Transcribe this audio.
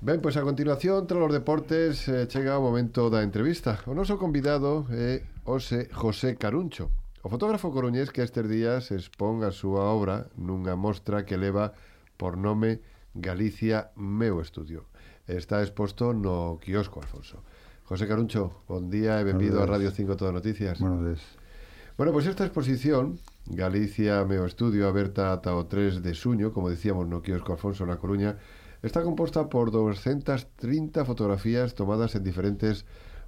Ben, pois a continuación, tras os deportes, chega o momento da entrevista. O noso convidado é hoxe José Caruncho, o fotógrafo coruñés que estes días expón a súa obra nunha mostra que leva por nome Galicia Meu Estudio. Está exposto no quiosco Alfonso. José Caruncho, bon día e benvido a Radio 5 Todo Noticias. Buenos días. Bueno, pois esta exposición, Galicia Meu Estudio, aberta ata o 3 de xuño, como dicíamos no quiosco Alfonso na Coruña, está composta por 230 fotografías tomadas en diferentes